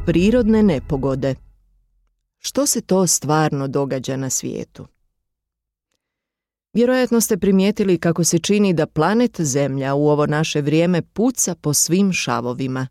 Prirodne nepogode. Što se to stvarno događa na svijetu? Vjerojatno ste primijetili kako se čini da planet Zemlja u ovo naše vrijeme puca po svim šavovima.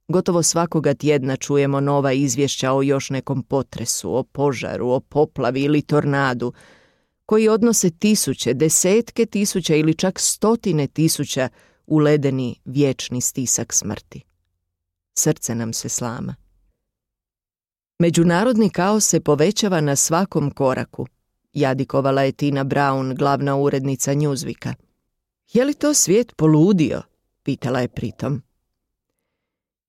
Gotovo svakoga tjedna čujemo nova izvješća o još nekom potresu, o požaru, o poplavi ili tornadu, koji odnose tisuće, desetke tisuća ili čak stotine tisuća u ledeni vječni stisak smrti. Srce nam se slama. Međunarodni kaos se povećava na svakom koraku, jadikovala je Tina Brown, glavna urednica Newsweeka. Je li to svijet poludio? Pitala je pritom.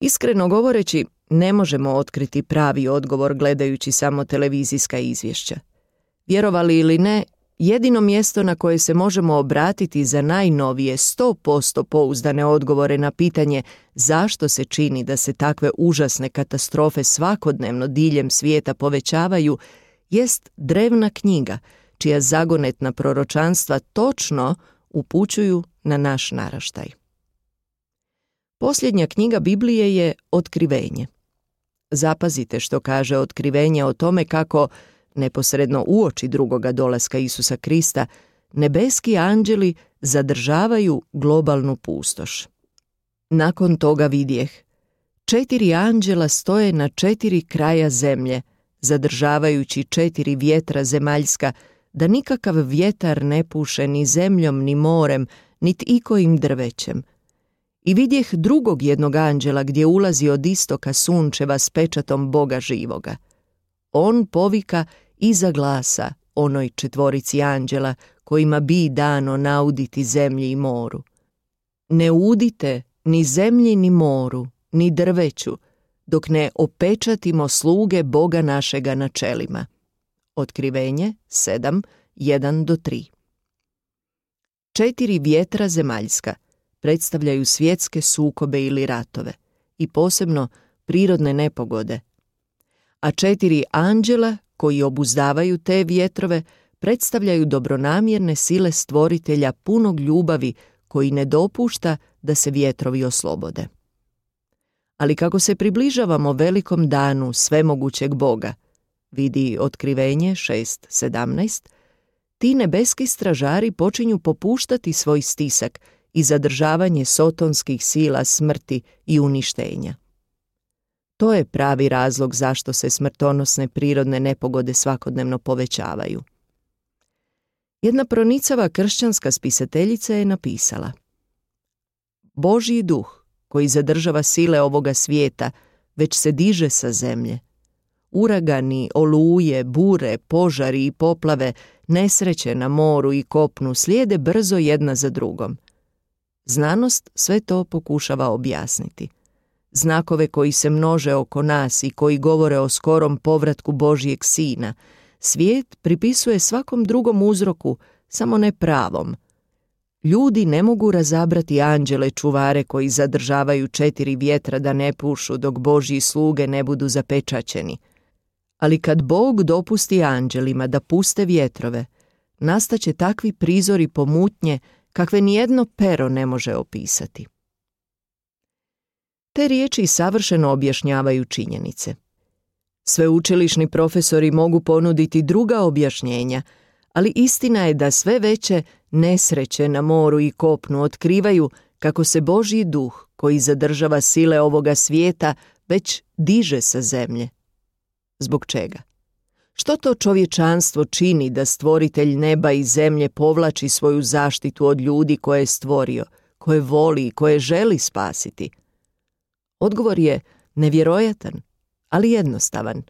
Iskreno govoreći, ne možemo otkriti pravi odgovor gledajući samo televizijska izvješća. Vjerovali ili ne, jedino mjesto na koje se možemo obratiti za najnovije 100% pouzdane odgovore na pitanje zašto se čini da se takve užasne katastrofe svakodnevno diljem svijeta povećavaju, jest drevna knjiga, čija zagonetna proročanstva točno upućuju na naš naraštaj. Posljednja knjiga Biblije je Otkrivenje. Zapazite što kaže Otkrivenje o tome kako, neposredno uoči drugoga dolaska Isusa Krista, nebeski anđeli zadržavaju globalnu pustoš. Nakon toga vidjeh, 4 anđela stoje na 4 kraja zemlje, zadržavajući 4 vjetra zemaljska, da nikakav vjetar ne puše ni zemljom, ni morem, niti ikojim drvećem. I vidjeh drugog jednog anđela gdje ulazi od istoka sunčeva s pečatom Boga živoga. On povika iza glasa onoj 4 anđela kojima bi dano nauditi zemlji i moru. Ne udite ni zemlji ni moru, ni drveću, dok ne opečatimo sluge Boga našega na čelima. Otkrivenje 7, 1-3. 4 vjetra zemaljska predstavljaju svjetske sukobe ili ratove i posebno prirodne nepogode, a 4 anđela koji obuzdavaju te vjetrove predstavljaju dobronamjerne sile stvoritelja punog ljubavi koji ne dopušta da se vjetrovi oslobode. Ali kako se približavamo velikom danu svemogućeg Boga, vidi Otkrivenje 6:17, ti nebeski stražari počinju popuštati svoj stisak i zadržavanje sotonskih sila smrti i uništenja. To je pravi razlog zašto se smrtonosne prirodne nepogode svakodnevno povećavaju. Jedna pronicava kršćanska spisateljica je napisala: Božji duh, koji zadržava sile ovoga svijeta, već se diže sa zemlje. Uragani, oluje, bure, požari i poplave, nesreće na moru i kopnu slijede brzo jedna za drugom. Znanost sve to pokušava objasniti. Znakove koji se množe oko nas i koji govore o skorom povratku Božjeg Sina, svijet pripisuje svakom drugom uzroku, samo ne pravom. Ljudi ne mogu razabrati anđele čuvare koji zadržavaju 4 vjetra da ne pušu dok Božji sluge ne budu zapečaćeni. Ali kad Bog dopusti anđelima da puste vjetrove, nastaće takvi prizori pomutnje kakve nijedno pero ne može opisati. Te riječi savršeno objašnjavaju činjenice. Sveučilišni profesori mogu ponuditi druga objašnjenja, ali istina je da sve veće nesreće na moru i kopnu otkrivaju kako se Božji duh, koji zadržava sile ovoga svijeta, već diže sa zemlje. Zbog čega? Što to čovječanstvo čini da stvoritelj neba i zemlje povlači svoju zaštitu od ljudi koje je stvorio, koje voli i koje želi spasiti? Odgovor je nevjerojatan, ali jednostavan.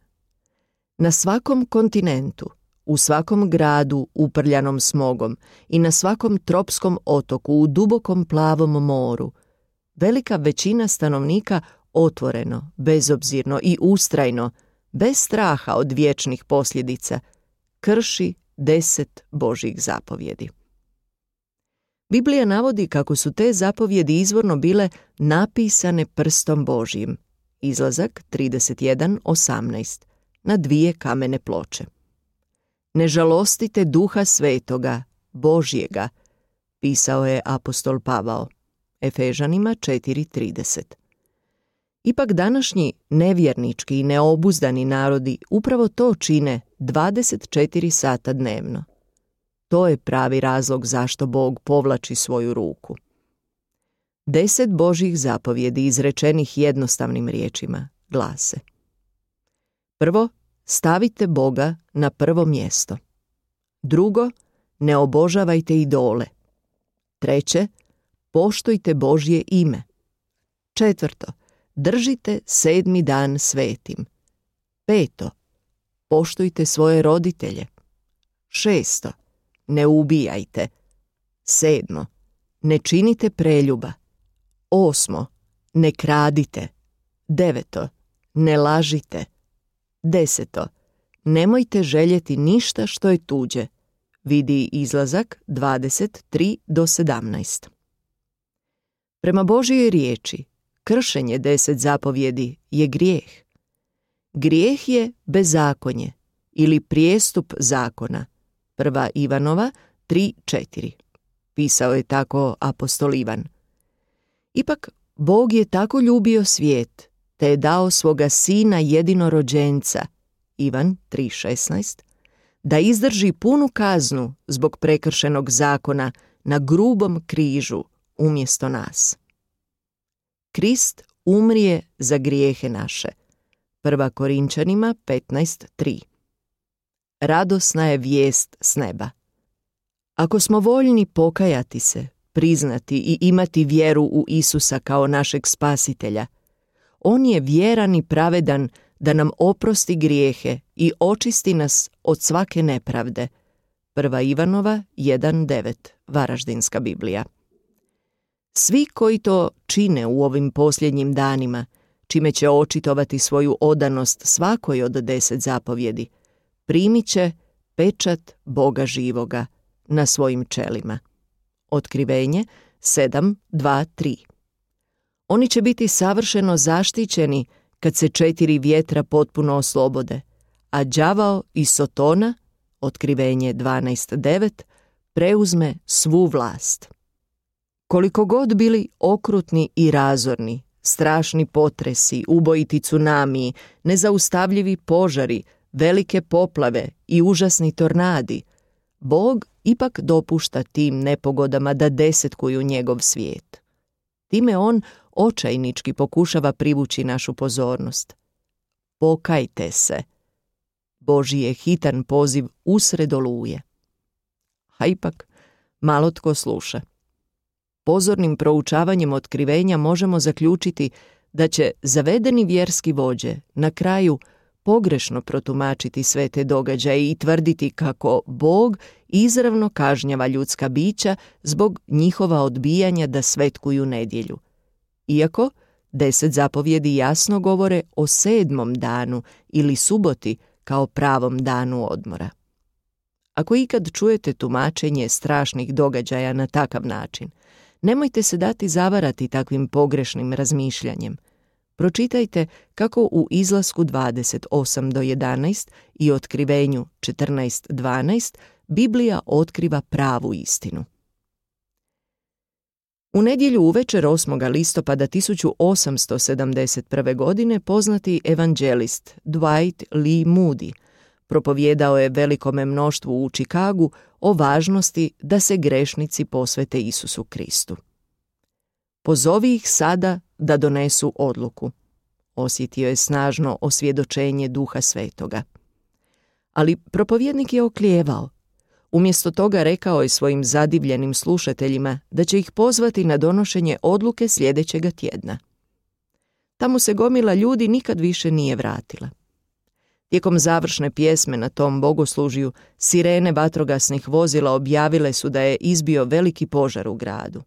Na svakom kontinentu, u svakom gradu uprljanom smogom i na svakom tropskom otoku u dubokom plavom moru, velika većina stanovnika otvoreno, bezobzirno i ustrajno, bez straha od vječnih posljedica, krši 10 Božjih zapovjedi. Biblija navodi kako su te zapovjedi izvorno bile napisane prstom Božjim. Izlazak 31:18, na 2 kamene ploče. Ne žalostite Duha Svetoga, Božjega, pisao je apostol Pavao, Efežanima 4:30. Ipak današnji nevjernički i neobuzdani narodi upravo to čine 24 sata dnevno. To je pravi razlog zašto Bog povlači svoju ruku. 10 Božjih zapovjedi izrečenih jednostavnim riječima glase: prvo, stavite Boga na prvo mjesto. Drugo, ne obožavajte idole. Treće, poštujte Božje ime. Četvrto, držite 7. dan svetim. Peto, poštujte svoje roditelje. Šesto, ne ubijajte. Sedmo, ne činite preljuba. Osmo, ne kradite. Deveto, ne lažite. Deseto, nemojte željeti ništa što je tuđe. Vidi Izlazak 23-17. Prema Božjoj riječi, kršenje 10 zapovjedi je grijeh. Grijeh je bezakonje ili prijestup zakona. 1. Ivanova 3:4. Pisao je tako apostol Ivan. Ipak, Bog je tako ljubio svijet, te je dao svoga sina jedinorođenca, Ivan 3:16, da izdrži punu kaznu zbog prekršenog zakona na grubom križu umjesto nas. Krist umrije za grijehe naše. 1. Korinčanima 15:3. Radosna je vijest s neba. Ako smo voljni pokajati se, priznati i imati vjeru u Isusa kao našeg spasitelja, on je vjeran i pravedan da nam oprosti grijehe i očisti nas od svake nepravde. 1. Ivanova 1:9, Varaždinska Biblija. Svi koji to čine u ovim posljednjim danima, čime će očitovati svoju odanost svakoj od 10 zapovjedi, primit će pečat Boga živoga na svojim čelima. Otkrivenje 7:2-3. Oni će biti savršeno zaštićeni kad se 4 vjetra potpuno oslobode, a đavao i Sotona, Otkrivenje 12:9, preuzme svu vlast. Koliko god bili okrutni i razorni, strašni potresi, ubojiti tsunamiji, nezaustavljivi požari, velike poplave i užasni tornadi, Bog ipak dopušta tim nepogodama da desetkuju njegov svijet. Time on očajnički pokušava privući našu pozornost. Pokajte se. Božji je hitan poziv usred oluje. A ipak malo tko sluša. Pozornim proučavanjem otkrivenja možemo zaključiti da će zavedeni vjerski vođe na kraju pogrešno protumačiti sve te događaje i tvrditi kako Bog izravno kažnjava ljudska bića zbog njihova odbijanja da svetkuju nedjelju. Iako 10 zapovjedi jasno govore o 7. danu ili suboti kao pravom danu odmora. Ako ikad čujete tumačenje strašnih događaja na takav način, nemojte se dati zavarati takvim pogrešnim razmišljanjem. Pročitajte kako u Izlasku 28-11 i Otkrivenju 14:12 Biblija otkriva pravu istinu. U nedjelju uvečer 8. listopada 1871. godine poznati evanđelist Dwight Lee Moody propovijedao je velikome mnoštvu u Čikagu o važnosti da se grešnici posvete Isusu Kristu. Pozovi ih sada da donesu odluku. Osjetio je snažno osvjedočenje Duha Svetoga. Ali propovjednik je oklijevao. Umjesto toga rekao je svojim zadivljenim slušateljima da će ih pozvati na donošenje odluke sljedećega tjedna. Tamo se gomila ljudi nikad više nije vratila. Tijekom završne pjesme na tom bogoslužju sirene vatrogasnih vozila objavile su da je izbio veliki požar u gradu.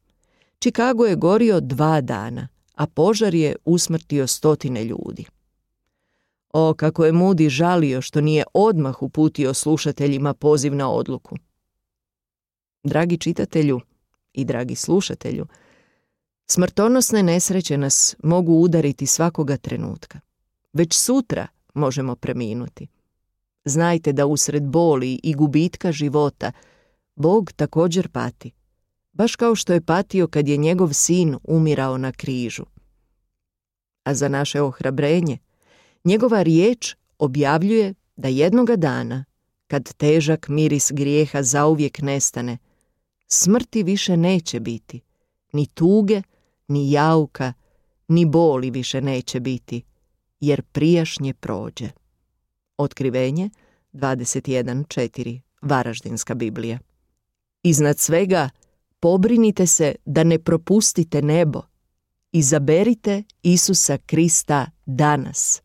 Chicago je gorio 2 dana, a požar je usmrtio 100 ljudi. O, kako je Moody žalio što nije odmah uputio slušateljima poziv na odluku. Dragi čitatelju i dragi slušatelju, smrtonosne nesreće nas mogu udariti svakoga trenutka. Već sutra možemo preminuti. Znajte da usred boli i gubitka života Bog također pati, baš kao što je patio kad je njegov sin umirao na križu. a za naše ohrabrenje. Njegova riječ objavljuje da jednoga dana, kad težak miris grijeha zauvijek nestane, smrti više neće biti, ni tuge, ni jauka, ni boli više neće biti, jer prijašnje prođe. Otkrivenje 21.4. Varaždinska Biblija. Iznad svega, pobrinite se da ne propustite nebo. Izaberite Isusa Krista danas.